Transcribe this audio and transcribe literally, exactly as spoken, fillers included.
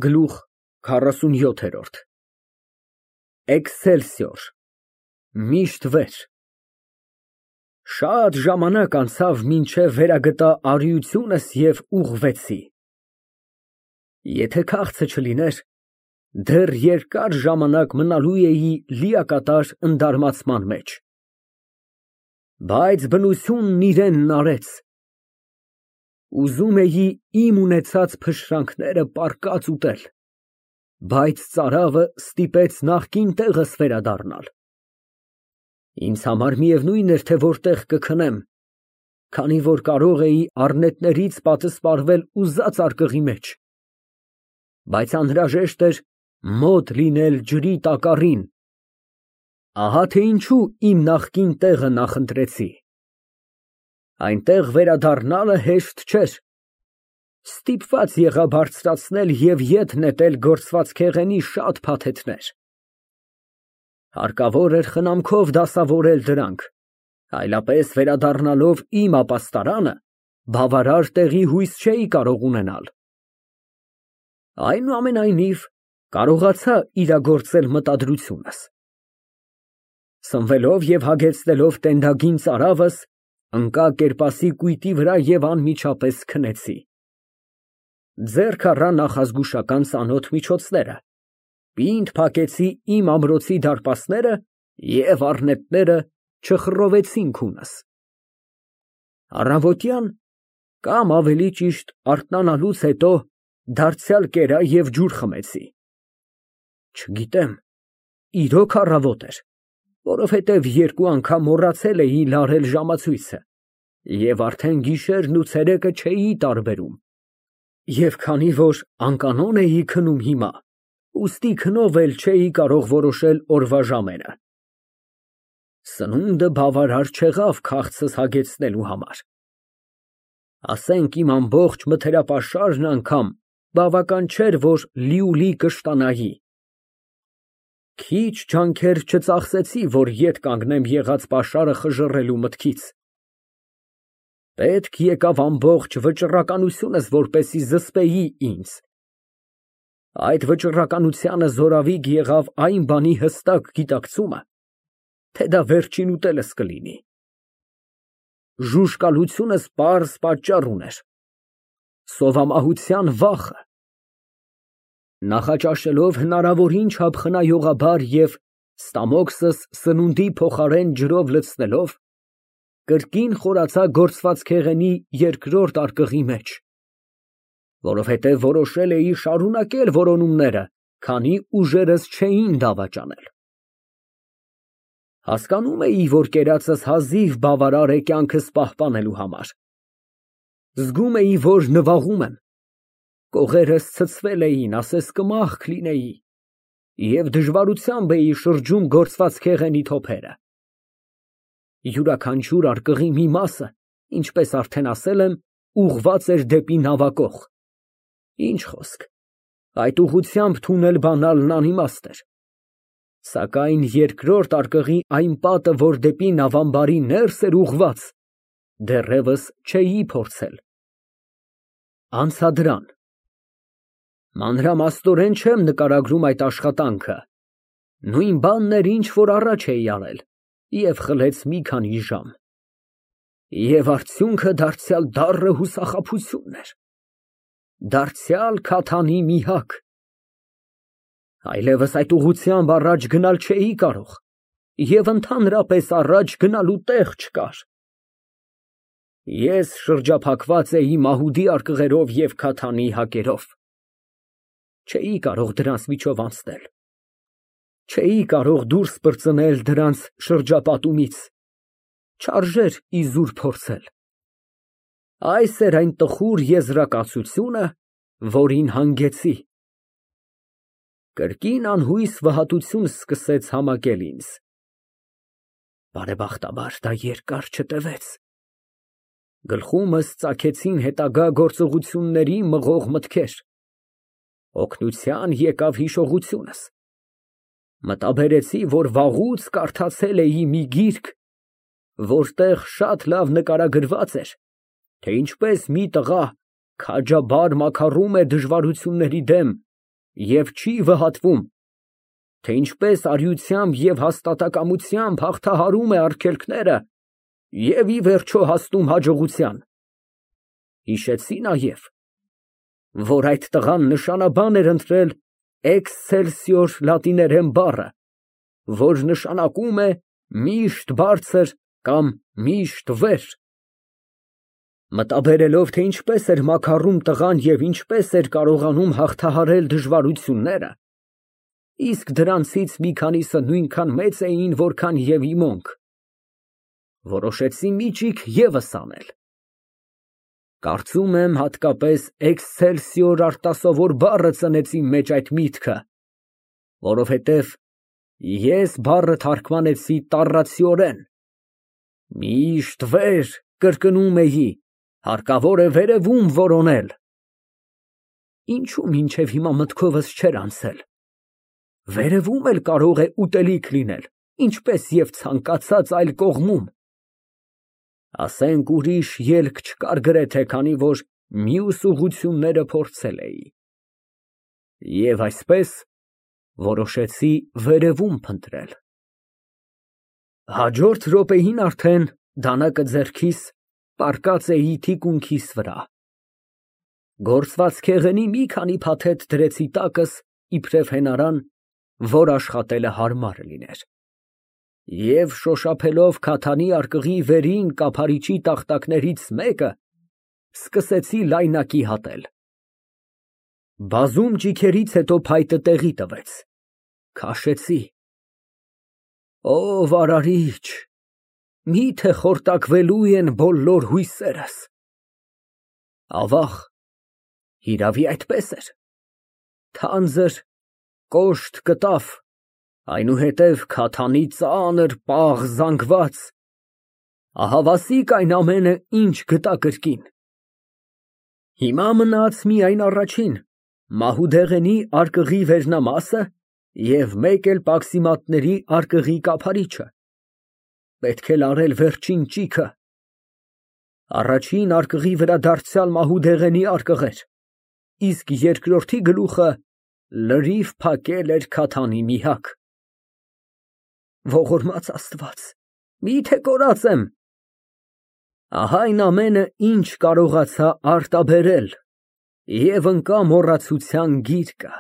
Գլուխ քառասունյոթ։ Էքսելսիոր միշտ վեր Շատ ժամանակ անցավ, մինչև վերագտա արիությունս և ուղղվեցի։ Եթե քաղցը չլիներ, դեռ երկար ժամանակ մնալու էի լիակատար ընդարմացման մեջ։ Բայց բնությունն իրենն արեց։ Ուզում էի իմ ունեցած փշրանքները պառկած ուտել, բայց ծարավը ստիպեց նախկին տեղս վերադառնալ։ Ինձ համար միևնույն էր, թե որտեղ կքնեմ, քանի որ կարող էի առնետներից պատսպարվել ուզած արկղի մեջ, բայց անհրաժեշտ էր մոտ լինել ջրի տակառին։ Ահա թե ինչու իմ նախկին տեղը նախընտրեցի։ Այնտեղ վերադառնալը հեշտ չէր։ Ստիպված եղա բարձրացնել և ետ նետել գործվածքեղենի շատ փաթեթներ։ Հարկավոր էր խնամքով դասավորել դրանք, այլապես վերադառնալով իմ ապաստարանը, բավարար տեղի հույս չէի կարող ունենալ։ Այնուամենայնիվ, կարողացա իրագործել մտադրությունս։ Սնվելով և հագեցնելով տենդագին ծարավս, ընկա կերպասի կույտի վրա և անմիջապես քնեցի։ Ձեռք առա նախազգուշական ծանոթ միջոցները, պինդ փակեցի իմ ամրոցի դարպասները և առնետները չխռովեցին քունս։ Առավոտյան, կամ ավելի ճիշտ արթնանալուց հետո, դարձյալ կերա և ջուր խմեցի։ Չգիտեմ, իրոք առավոտ էր, որովհետև երկու անգամ մոռացել էի լարել ժամացույցը և արդեն գիշերն ու ցերեկը չէի տարբերում, և քանի որ անկանոն էի քնում հիմա, ուստի քնով էլ չէի կարող որոշել օրվա ժամերը։ Սնունդը բավարար չեղավ քաղցս հագեցնելու համար։ Ասենք իմ ամբողջ մթերապաշարն անգամ բավական չէր, որ լիուլի կշտանայի։ Քիչ ջանքեր չծախսեցի, որ ետ կանգնեմ եղած պաշարը խժռելու մտքից։ Պետք եկավ ամբողջ վճռականությունս, որպեսզի զսպեի ինձ։ Այդ վճռականությանը զորավիգ եղավ այն բանի հստակ գիտակցումը, թե դա վերջին ուտելս կլինի։ Ժուժկալությունս պարզ պատճառ ուներ՝ սովամահության վախը։ Նախաճաշելով հնարավորին չափ խնայողաբար և ստամոքսս սնունդի փոխարեն ջրով լցնելով, կրկին խորացա գործվածքեղենի երկրորդ արկղի մեջ, որովհետև որոշել էի շարունակել որոնումները, քանի ուժերս չէին դավաճանել։ Հասկանում էի, որ կերածս հազիվ բավարար է կյանքս պահպանելու համար։ Զգում էի, որ նվաղում եմ, կողերս ցցվել էին, ասես կմախք լինեի, և դժվարությամբ էի շրջում գործվածքեղենի թոփերը։ Յուրաքանչյուր արկղի մի մասը, ինչպես արդեն ասել եմ, ուղղված էր դեպի նավակող։ Ինչ խոսք, այդ ուղղությամբ թունել բանալն անիմաստ էր։ Սակայն երկրորդ արկղի այն պատը, որ դեպի նավամբարի ներս էր ուղղված, դեռևս չէի փորձել։ Անցա դրան։ Մանրամասնորեն չեմ նկարագրում այդ աշխատանքը, նույն բանն էր, ինչ որ առաջ էի արել, և խլեց մի քանի ժամ։ Եվ արդյունքը դարձյալ դառը հուսախաբությունն էր, դարձյալ քաթանի միհակ։ Այլևս այդ ուղղությամբ առաջ գնալ չէի կարող և ընդհանրապես առաջ գնալու տեղ չկար։ Ես շրջափակված էի մահուդի արկղերով և քաթանի հակերով։ Չէի կարող դրանց միջով անցնել, չէի կարող դուրս պրծնել դրանց շրջապատումից, չարժեր իզուր փորձել։ Այս էր այն տխուր եզրակացությունը, որին հանգեցի։ Կրկին անհույս վհատություն սկսեց համակել ինձ։ Բարեբախտաբար, դա երկար չտևեց։ Գլխումս ծագեցին հետագա գործողությունների մղող մտքեր։ Օգնության եկավ հիշողությունս։ Մտաբերեցի, որ վաղուց կարդացել էի մի գիրք, որտեղ շատ լավ նկարագրված էր, թե ինչպես մի տղա քաջաբար մաքարում է դժվարությունների դեմ և չի վհատվում, թե ինչպես արիությամբ և հաստատակամությամբ հաղթահարում է արգելքները և ի վերջո հասնում հաջողության։ Հիշեցի նաև, որ այդ տղան նշանաբան էր ընտրել էքսցելսիոր լատիներեն բառը, որ նշանակում է միշտ բարձր կամ միշտ վեր։ Մտաբերելով, թե ինչպես էր մաքարում տղան և ինչպես էր կարողանում հաղթահարել դժվարությունները, իսկ դրանցից մի քանիսը նույնքան մեծ էին, որքան և իմոնք, որոշեցի միջիկ ևս անել։ Կարծում եմ, հատկապես էքսցելսիոր արտասովոր բառը ծնեց իմ մեջ այդ միտքը, որովհետև ես բառը թարգմանեցի տառացիորեն, միշտ վեր կրկնում էի, հարկավոր է վերևում որոնել։ Ինչո՞ւ մինչև հիմա մտքովս չէր անցել, վերևում էլ կարող է ուտելիք լինել, ինչպես և ցանկացած այլ կողմում։ Ասենք ուրիշ ելք չկար գրեթե, քանի որ մյուս ուղղությունները փորձել էի։ Եվ այսպես որոշեցի վերևում փնտրել։ Հաջորդ րոպեին արդեն դանակը ձեռքիս պառկած էի թիկունքիս վրա։ Գործվածքեղենի մի քանի փաթեթ դրեցի տակս, իբրև հենարան, որ աշխատելը հարմար լիներ, և շոշափելով քաթանի արկղի վերին կափարիչի տախտակներից մեկը, սկսեցի լայնակի հատել։ Բազում ճիգերից հետո փայտը տեղի տվեց, քաշեցի։ Ով արարիչ, մի՞թե խորտակվելու են բոլոր հույսերս։ Ավաղ, հիրավի այդպես էր, թանձր, կոշտ կտավ, այնուհետև քաթանի ծանր պաղ զանգված, ահավասիկ այն ամենը, ինչ գտա կրկին։ Հիմա մնաց միայն առաջին, մահուդեղենի արկղի վերնամասը և մեկ էլ պաքսիմատների արկղի կափարիչը, պետք է լարել վերջին ճիգը։ Առաջին արկղի վրա դարձյալ մահուդեղենի արկղ էր, իսկ երկրորդի գլուխը լրիվ փակել էր քաթանի միհակ։ Ողորմած Աստված, մի՞թե կորած եմ։ Ահա այն ամենը, ինչ կարողացա արտաբերել, և ընկա մոռացության գիրկը։